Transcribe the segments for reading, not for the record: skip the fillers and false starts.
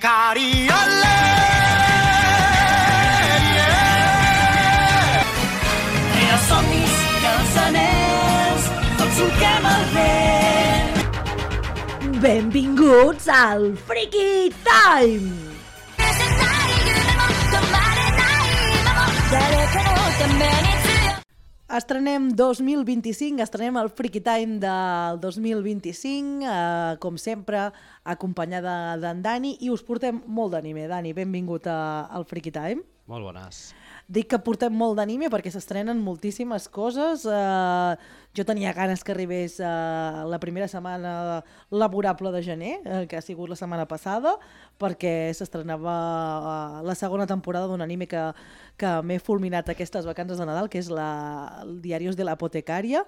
Cariole, Els somnis i els anells, tots solquem el vent. Benvinguts al Freaky Time! Estrenem 2025, estrenem el Freaky Time del 2025, com sempre, acompanyada d'en Dani, i us portem molt d'anime. Dani, benvingut al Freaky Time. Molt bones. Dic que portem molt d'anime perquè s'estrenen moltíssimes coses. Jo tenia ganes que arribés la primera setmana laborable de gener, que ha sigut la setmana passada, perquè s'estrenava la segona temporada d'un anime que m'he fulminat aquestes vacances de Nadal, que és el Diarios de la Apotecària,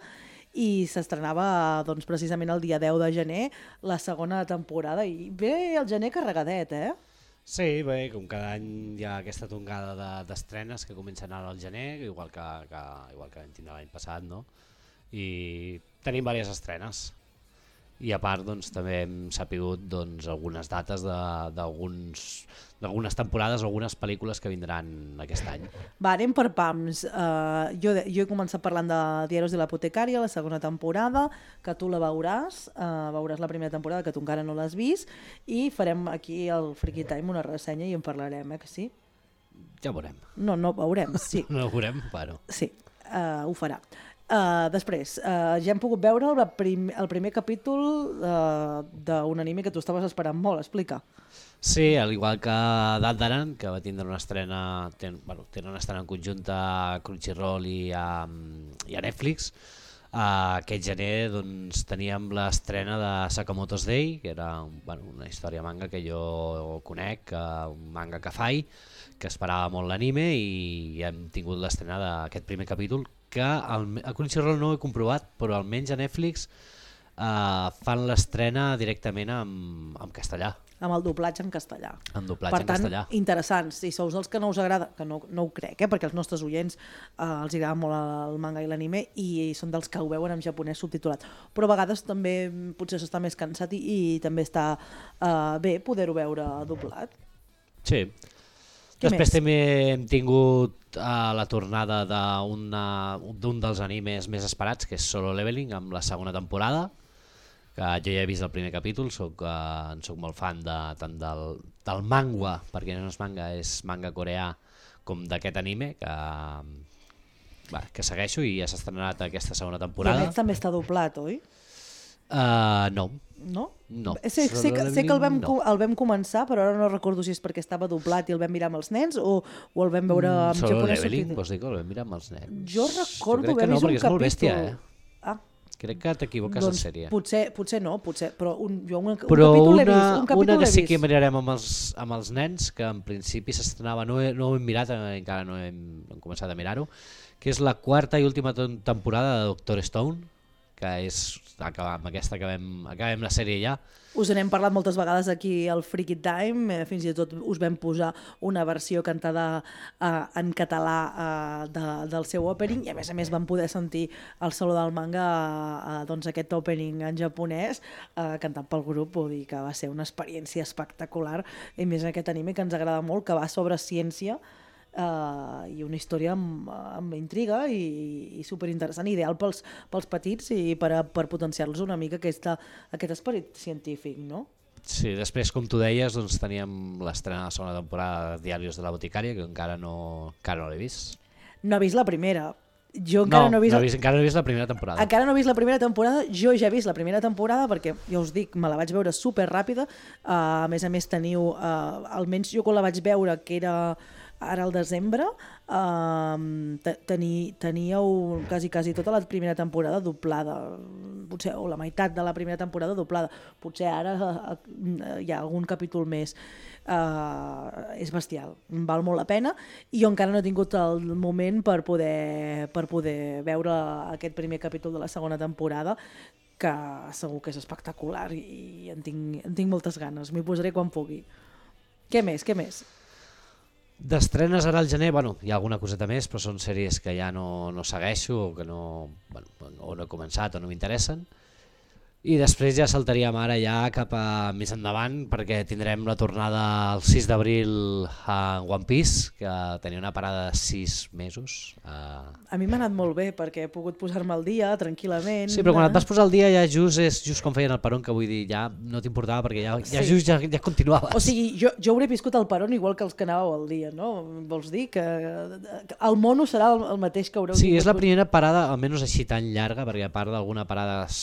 i s'estrenava doncs, precisament el dia 10 de gener la segona temporada. I bé, el gener carregadet, Sí, bé, com cada any hi ha aquesta tongada d'estrenes que comencen ara al gener, igual que vam tindre l'any passat, no? I tenim diverses estrenes. I a part doncs, també hem sapigut doncs, algunes dates d'algunes temporades o algunes pel·lícules que vindran aquest any. Va, anem per pams. Jo he començat parlant de Diarios de l'Apotecària, la segona temporada, que tu la veuràs la primera temporada, que tu encara no l'has vist, i farem aquí al Freaky Time una ressenya i en parlarem, que sí? Ja veurem. No, veurem, sí. No ho veurem, però... Sí, ho farà. Després, ja hem pogut veure el primer capítol d'un anime que tu estaves esperant molt, explica. Sí, al igual que Dandaran, que va tindre una estrena, tenen una estrena en conjunt a Crunchyroll i a Netflix. Aquest gener doncs, teníem l'estrena de Sakamoto's Day, que era una història manga que jo conec, un manga que faig, que esperava molt l'anime, i hem tingut l'estrena d'aquest primer capítol, que a Crunchyroll no ho he comprovat, però almenys a Netflix fan l'estrena directament en castellà. Amb el doblatge en castellà. En doblatge en castellà. Per tant, interessant. Si sous dels que no us agrada, que no ho crec, perquè als nostres oients els agrada molt el manga i l'anime i són dels que ho veuen en japonès subtitulat. Però a vegades també potser s'està més cansat i també està bé poder-ho veure doblat. Sí. Després també hem tingut la tornada d'un dels animes més esperats, que és Solo Leveling, amb la segona temporada, que jo ja he vist el primer capítol, soc molt fan tant del manga, perquè no és manga, és manga coreà, com d'aquest anime, que segueixo i ja s'ha estrenat aquesta segona temporada. I aquest també està doblat, oi? No. No? No. Sé que el vam començar, però ara no recordo si és perquè estava doblat i el vam mirar amb els nens o el vam veure en Solo japonès. Leveling, vols dir que el vam mirar amb els nens? Jo recordo haver no, vist un capítol. perquè és molt bèstia, Ah. Crec que t'equivoques de sèrie. Potser no, però un però capítol l'he vist. Una que sí que mirarem amb els nens, que en principi s'estrenava, no ho hem mirat, encara no hem començat a mirar-ho, que és la quarta i última temporada de Doctor Stone, que és amb aquesta acabem la sèrie ja. Us n'hem parlat moltes vegades aquí al Freaky Time, fins i tot us vam posar una versió cantada en català del seu opening, i a més vam poder sentir el solo del manga, doncs aquest opening en japonès, cantat pel grup. Vull dir que va ser una experiència espectacular, i més aquest anime que ens agrada molt, que va sobre ciència, i una història amb intriga i superinteressant, ideal pels petits i per potenciar-los una mica aquest esperit científic, no? Sí, després, com tu deies, doncs teníem l'estrena de la segona temporada de Diarios de la Boticària, que encara no l'he vist. No he vist la primera. Jo encara no he vist la primera temporada. Encara no he vist la primera temporada. Jo ja he vist la primera temporada perquè, ja us dic, me la vaig veure super ràpida. A més teniu, almenys jo quan la vaig veure, que era ara al desembre, teníeu quasi tota la primera temporada doblada, potser, o la meitat de la primera temporada doblada. Potser ara hi ha algun capítol més. És bestial, val molt la pena, i jo encara no he tingut el moment per poder veure aquest primer capítol de la segona temporada, que segur que és espectacular i en tinc moltes ganes. M'hi posaré quan pugui. Què més? D'estrenes ara al gener, hi ha alguna coseta més, però són sèries que ja no segueixo o que no he començat o no m'interessen. I després ja saltaríem ara ja cap a més endavant perquè tindrem la tornada el 6 d'abril a One Piece, que tenia una parada de 6 mesos. A mi m'ha anat molt bé perquè he pogut posar-me al dia tranquil·lament. Sí, però quan et vas posar al dia ja és just com feien el Peron, que vull dir, ja no t'importava perquè ja continuaves. O sigui, jo hauré viscut el Peron igual que els que anàveu al dia, no? Vols dir que el mono serà el mateix que haureu Sí, tingut? és la primera parada, almenys així tan llarga, perquè a part d'alguna parada es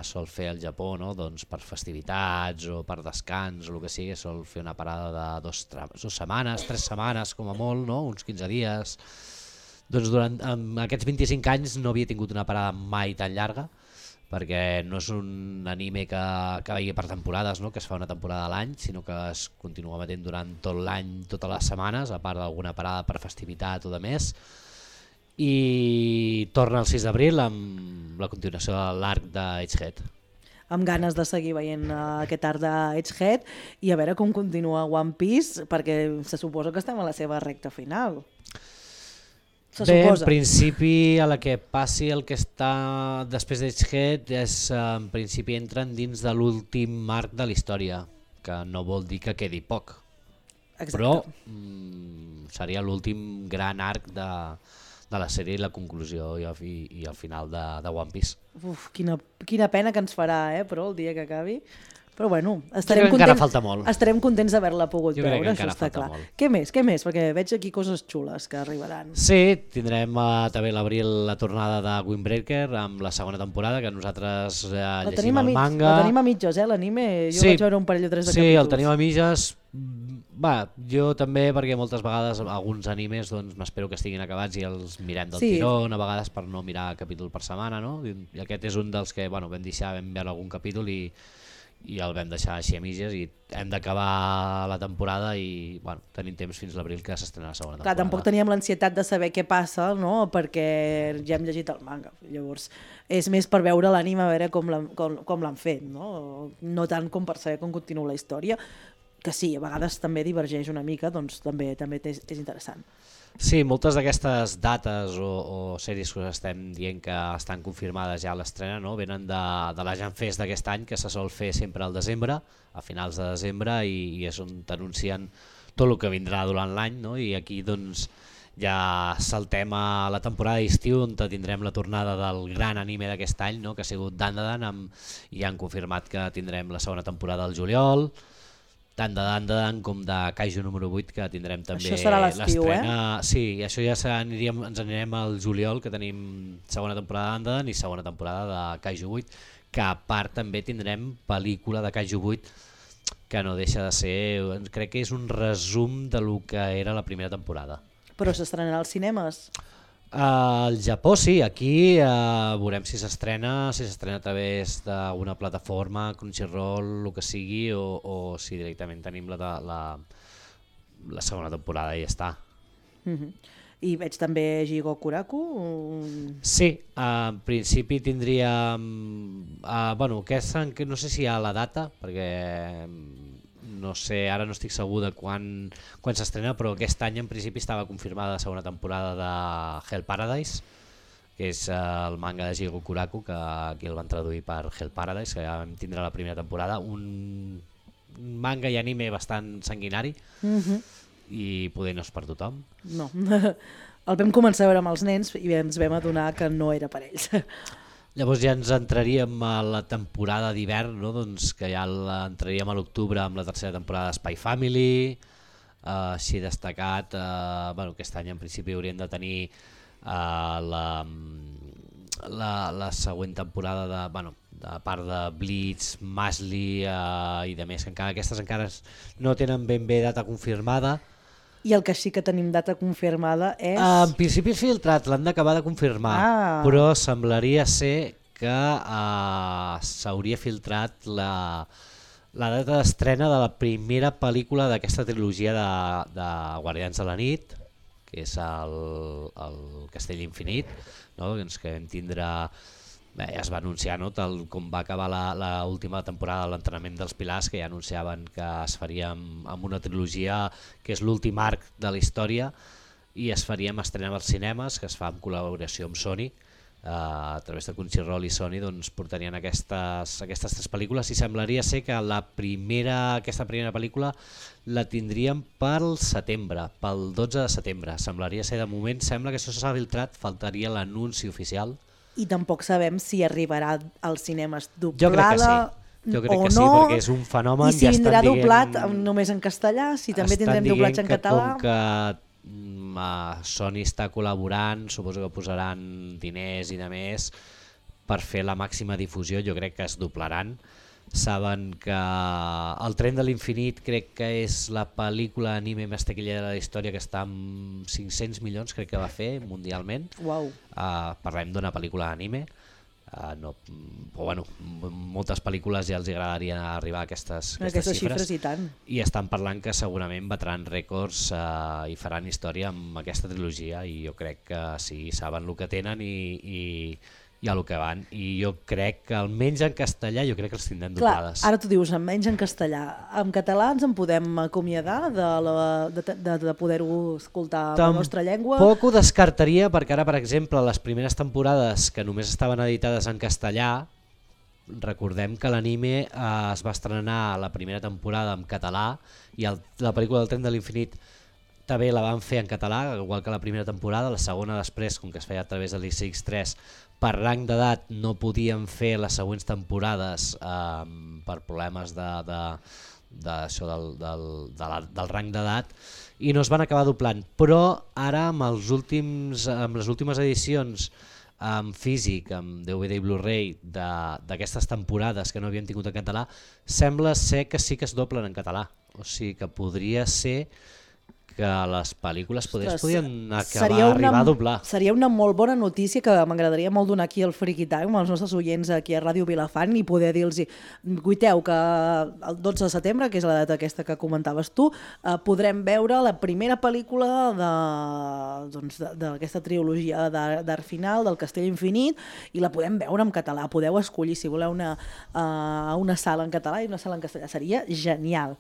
sol fer al Japó, no? Doncs per festivitats o per descans o el que sigui, sol fer una parada de 2 setmanes, 3 setmanes com a molt, no? Uns 15 dies. Doncs durant aquests 25 anys no havia tingut una parada mai tan llarga, perquè no és un anime que vegi per temporades, no? Que es fa una temporada a l'any, sinó que es continua emetent durant tot l'any, totes les setmanes, a part d'alguna parada per festivitat o de més. I torna el 6 d'abril amb la continuació de l'arc d'Edgehead. Amb ganes de seguir veient aquest art d'Edgehead i a veure com continua One Piece, perquè se suposa que estem a la seva recta final. En principi, a la que passi el que està després d'Edgehead, en principi entren dins de l'últim arc de la història, que no vol dir que quedi poc. Exacte. Però seria l'últim gran arc de la sèrie i la conclusió i el final de One Piece. Uf, quina pena que ens farà, però el dia que acabi. Però bueno, encara falta molt. Estarem contents d'haver-la pogut veure, això està clar. molt. Què més? Perquè veig aquí coses xules que arribaran. Sí, tindrem també a l'abril la tornada de Windbreaker amb la segona temporada, que nosaltres llegim el manga. La tenim a mitges, l'anime. Jo vaig veure un parell o 3 de capítols. Sí, el tenim a mitges. Jo també, perquè moltes vegades alguns animes m'espero que estiguin acabats i els mirem del tirón, a vegades per no mirar capítol per setmana, no? I aquest és un dels que vam veure algun capítol i el vam deixar així a mitges i hem d'acabar la temporada i tenim temps fins l'abril que s'estrena la segona temporada. Clar, tampoc teníem l'ansietat de saber què passa, no? Perquè ja hem llegit el manga, llavors és més per veure l'anime, a veure com l'han fet, no tant com per saber com continua la història, que sí, a vegades també divergeix una mica, doncs també és interessant. Sí, moltes d'aquestes dates o sèries que us estem dient que estan confirmades ja a l'estrena, no? Venen de la Jam Fest d'aquest any, que se sol fer sempre al desembre, a finals de desembre, i és on t'anuncien tot el que vindrà durant l'any, no? I aquí doncs ja saltem a la temporada d'estiu, on tindrem la tornada del gran anime d'aquest any, no? Que ha sigut Dandadan, i han confirmat que tindrem la segona temporada al juliol, tant de Dandadan com de Kaiju número 8, que tindrem també l'estrena. Això serà l'estiu, Sí, i això ja ens anirem al juliol, que tenim segona temporada de Dandadan i segona temporada de Kaiju 8, que a part també tindrem pel·lícula de Kaiju 8, que no deixa de ser, crec que és un resum de lo que era la primera temporada. Però s'estrenarà als cinemes? Al Japó sí, aquí veurem si s'estrena a través d'una plataforma, Crunchyroll, el que sigui, o si directament tenim la segona temporada i ja està. I veig també Jigoku Kuraku? Sí, en principi tindríem... no sé si hi ha la data, perquè no sé, ara no estic segur de quan s'estrena, però aquest any en principi estava confirmada la segona temporada de Hell Paradise, que és el manga de Jigoku Kuraku, que aquí el van traduir per Hell Paradise, que ja vam tindre la primera temporada, un manga i anime bastant sanguinari, i poder no és per tothom. No, el vam començar a veure amb els nens i ens vam adonar que no era per ells. Llavors ja ens entraríem a la temporada d'hivern, no? Doncs que ja entraríem a l'octubre amb la tercera temporada de Spy Family, així destacat, aquest any en principi hauríem de tenir la següent temporada de part de Bleach, Mashley i de més, que aquestes encara no tenen ben bé data confirmada. I el que sí que tenim data confirmada és... En principi és filtrat, l'han d'acabar de confirmar, però semblaria ser que s'hauria filtrat la data d'estrena de la primera pel·lícula d'aquesta trilogia de Guardians de la Nit, que és el Castell Infinit, no? Que vam tindre... ja es va anunciar, no? Tal com va acabar l'última temporada de l'entrenament dels Pilars, que ja anunciaven que es faria amb una trilogia que és l'últim arc de la història i es faria amb estrena als cinemes, que es fa en col·laboració amb Sony, a través de Crunchyroll i Sony doncs, portarien aquestes 3 pel·lícules i semblaria ser que aquesta primera pel·lícula la tindríem pel setembre, pel 12 de setembre. Semblaria ser, de moment, sembla que això s'ha filtrat, faltaria l'anunci oficial. I tampoc sabem si arribarà als cinemes Jo crec que doblada sí. Jo crec o que sí, no, perquè és un fenomen. i si ja vindrà estan doblat dient, només en castellà, si també tindrem doblatge en català. Com que Sony està col·laborant, suposo que posaran diners i de més per fer la màxima difusió, jo crec que es doblaran. Saben que El tren de l'infinit crec que és la pel·lícula anime més taquillera de la història, que està amb 500 milions, crec que va fer mundialment. Uau. Parlem d'una pel·lícula anime. No, però bueno, moltes pel·lícules ja els agradaria arribar a aquestes xifres i tant. I estan parlant que segurament batran rècords i faran història amb aquesta trilogia, i jo crec que sí, saben el que tenen i a lo que van, i jo crec que almenys en castellà jo crec que els tindrem doblades. Ara tu dius almenys en castellà, en català ens en podem acomiadar de poder-ho escoltar en la nostra llengua? Tampoc ho descartaria, perquè ara, per exemple, les primeres temporades que només estaven editades en castellà, recordem que l'anime es va estrenar la primera temporada en català i la pel·lícula del tren de l'infinit també la van fer en català, igual que la primera temporada. La segona després, com que es feia a través de l'ICX3, per rang d'edat no podien fer les següents temporades per problemes d'això del rang d'edat, i no es van acabar doblant. Però ara amb les últimes edicions en físic, amb DVD i Blu-ray d'aquestes temporades que no havien tingut en català, sembla ser que sí que es doblen en català. O sigui que podria ser que les pel·lícules podien arribar a doblar. Seria una molt bona notícia que m'agradaria molt donar aquí al Freaky Time als nostres oients aquí a Ràdio Vilafant i poder dir-los, guiteu que el 12 de setembre, que és la data aquesta que comentaves tu, podrem veure la primera pel·lícula d'aquesta trilogia d'art final, del Castell Infinit, i la podem veure en català. Podeu escollir si voleu una sala en català i una sala en castellà. Seria genial.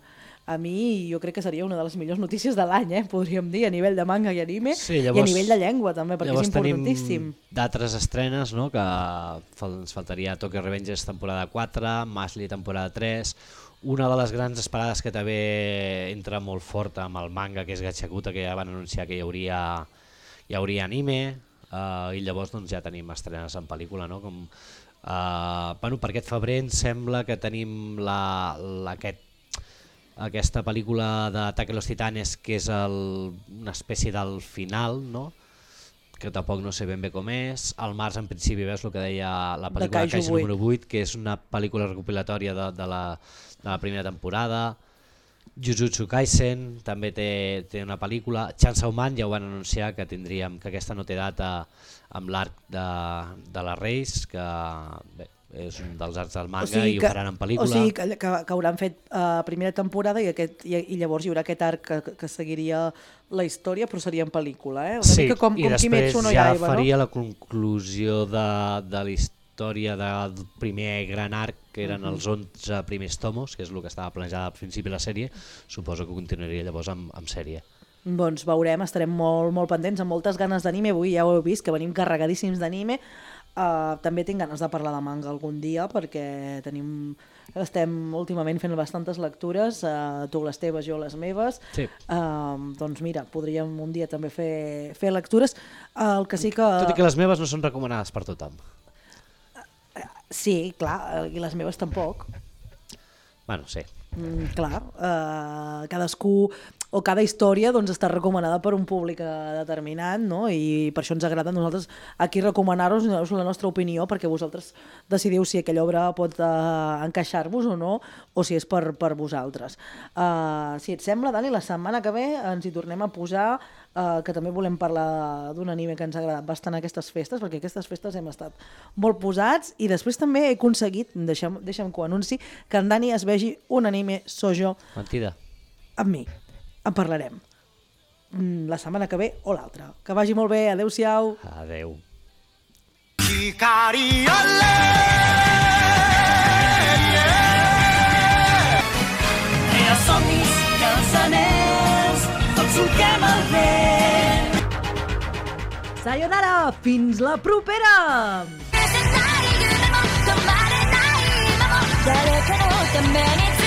A mi jo crec que seria una de les millors notícies de l'any, podríem dir, a nivell de manga i anime, i a nivell de llengua també, perquè és importantíssim. Llavors tenim d'altres estrenes, no? Que ens faltaria Tokyo Revengers temporada 4, Mashle temporada 3, una de les grans esperades que també entra molt fort amb el manga, que és Gachakuta, que ja van anunciar que hi hauria anime, i llavors doncs, ja tenim estrenes en pel·lícula, no? Per aquest febrer em sembla que tenim aquesta pel·lícula d'Ataque a los Titanes, que és una espècie del final, no? Que tampoc no sé ben bé com és. Al març, en principi, veus el que deia la pel·lícula de Kaiju número 8, que és una pel·lícula recopilatòria de la primera temporada. Jujutsu Kaisen també té una pel·lícula. Chainsaw Man ja ho van anunciar, que aquesta no té data, amb l'arc de la Reis, que bé, és un dels arts del manga, i ho faran en pel·lícula. O sigui que hauran fet primera temporada i llavors hi haurà aquest arc que seguiria la història, però seria en pel·lícula. Una mica com i després Kimetsu no ja Yaiba, faria la conclusió de la història del primer gran arc, que eren els 11 primers tomos, que és el que estava planejat al principi de la sèrie. Suposo que continuaria llavors amb sèrie. Doncs veurem, estarem molt, molt pendents, amb moltes ganes d'anime. Avui ja ho heu vist, que venim carregadíssims d'anime. També tinc ganes de parlar de manga algun dia, perquè estem últimament fent bastantes lectures, tu les teves, jo les meves. Sí. Doncs mira, podríem un dia també fer lectures. El que sí que... Tot i que les meves no són recomanades per tothom. Sí, clar, i les meves tampoc. Bueno, sí. Clar, cadascú o cada història doncs, està recomanada per un públic determinat, no? I per això ens agrada a nosaltres aquí recomanar-vos la nostra opinió, perquè vosaltres decidiu si aquella obra pot encaixar-vos o no, o si és per vosaltres. Si et sembla, Dani, la setmana que ve ens hi tornem a posar, que també volem parlar d'un anime que ens ha agradat bastant aquestes festes, perquè aquestes festes hem estat molt posats, i després també he aconseguit, deixa'm que ho anunci, que en Dani es vegi un anime shoujo Mentida. amb mi. En parlarem la setmana que ve o l'altra. Que vagi molt bé, adeu-siau. Adeu. Els somnis i els anells, tots solquem el vent. Sayonara, fins la propera! 誰かのために